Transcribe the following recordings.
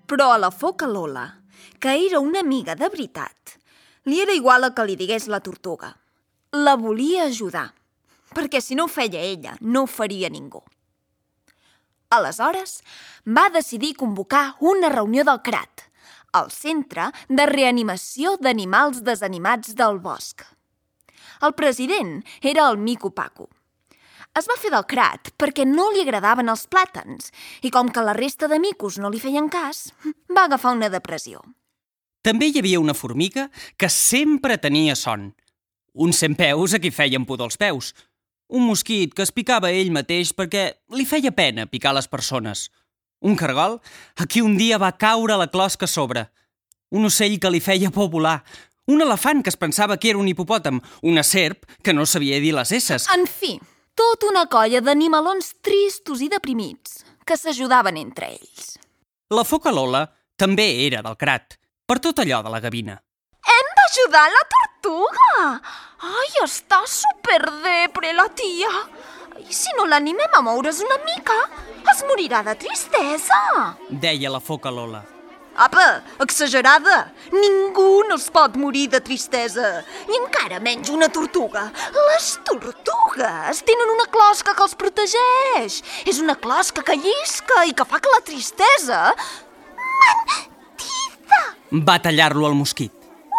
Però a la foca Lola, que era una amiga de veritat, li era igual el que li digués la tortuga. La volia ajudar, perquè si no ho feia ella, no ho faria ningú. Aleshores, va decidir convocar una reunió del CRAT, el Centre de Reanimació d'Animals Desanimats del Bosc. El president era el Mico Paco. Es va fer del CRAT perquè no li agradaven els plàtans i com que la resta de micos no li feien cas, va agafar una depressió. També hi havia una formiga que sempre tenia son. Un centpeus a qui feien pudor als peus. Un mosquit que es picava ell mateix perquè li feia pena picar les persones. Un cargol a qui un dia va caure la closca a sobre. Un ocell que li feia por volar. Un elefant que es pensava que era un hipopòtam. Una serp que no sabia dir les esses. En fi, tota una colla d'animalons tristos i deprimits que s'ajudaven entre ells. La foca Lola també era del CRAT, per tot allò de la gavina. Hem d'ajudar la tortuga! Ai, està superdepre la tia! I si no l'animem a moure's una mica, es morirà de tristesa! Deia la foca Lola. Apa, exagerada! Ningú no es pot morir de tristesa, i encara menys una tortuga. Les tortugues tenen una closca que els protegeix. És una closca que llisca i que fa que la tristesa... Mentida! Va tallar-lo el mosquit.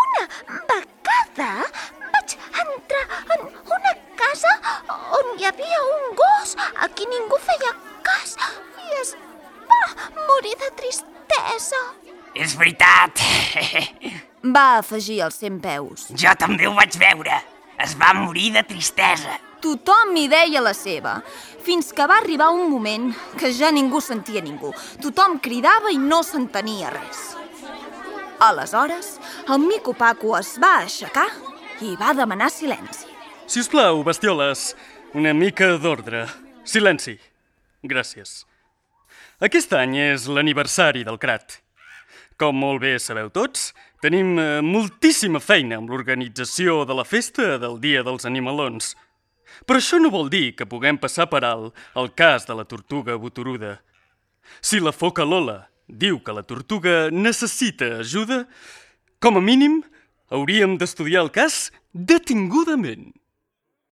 Una vegada vaig entrar en una casa on hi havia un gos a qui ningú feia cas i es va morir de tristesa. És veritat. Va afegir el centpeus. Jo també ho vaig veure. Es va morir de tristesa. Tothom hi deia la seva, fins que va arribar un moment que ja ningú sentia ningú. Tothom cridava i no s'entenia res. Aleshores, el Mico Paco es va aixecar i va demanar silenci. Si us plau, bestioles, una mica d'ordre. Silenci. Gràcies. Aquest any és l'aniversari del CRAT. Com molt bé sabeu tots, tenim moltíssima feina amb l'organització de la festa del Dia dels Animalons. Però això no vol dir que puguem passar per alt el cas de la tortuga botoruda. Si la foca Lola diu que la tortuga necessita ajuda, com a mínim hauríem d'estudiar el cas detingudament.